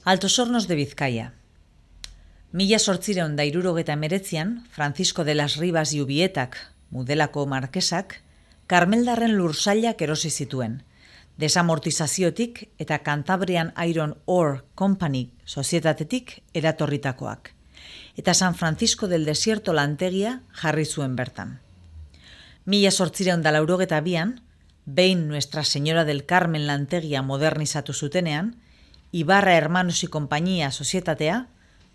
Altos Hornos de Bizkaia. 1869an, Francisco de las Rivas y Ubietak, Mudelako markesak, Karmeldarren lursailak erosi zituen, desamortizaziotik eta Cantabrian Iron Ore Company sozietatetik eratorritakoak, eta San Francisco del Desierto lantegia jarri zuen bertan. 1882an, behin Nuestra Señora del Carmen lantegia modernizatu zutenean, Ibarra Hermanos y Compañía sozietatea,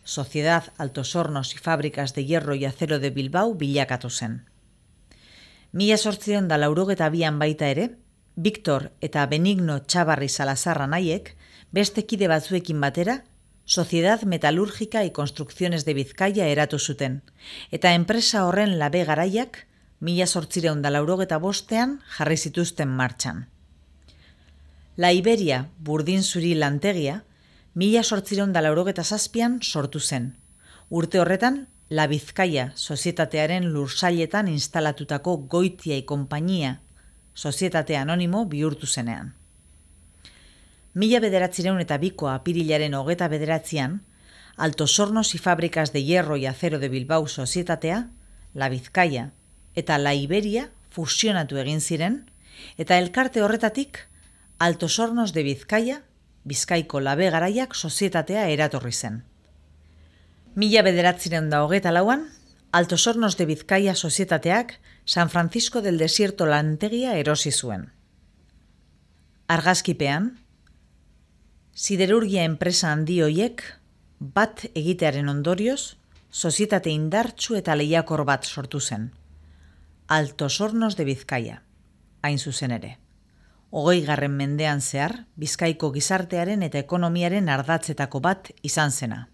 Sociedad Altos Hornos y Fábricas de Hierro y Acero de Bilbao bilakatu zen. 1882an baita ere, Victor eta Benigno Txabarri Salazar anaiek beste kide batzuekin batera Sociedad Metalúrgica y Construcciones de Bizkaia eratu zuten, eta enpresa horren labe garaiak 1885an jarri zituzten martxan. La Iberia burdin zuri lantegia 1887an sortu zen. Urte horretan, La Bizkaia sozietatearen lursailetan instalatutako Goitia y Compañía sozietate anonimo bihurtu zenean. 1902ko apirilaren 29an, Altos Hornos y Fábricas de Hierro y Acero de Bilbao sozietatea, La Bizkaia eta La Iberia fusionatu egin ziren, eta elkarte horretatik Altos Hornos de Bizkaia, Bizkaiko labe garaiak sozietatea eratorri zen. 1924an, Altos Hornos de Bizkaia sozietateak San Francisco del Desierto lantegia erosi zuen. Argazkipean, siderurgia enpresa handi hoiek bat egitearen ondorioz, sozietate indartsu eta lehiakor bat sortu zen. Altos Hornos de Bizkaia, hain zuzen ere. 20. mendean zehar, Bizkaiko gizartearen eta ekonomiaren ardatzetako bat izan zena.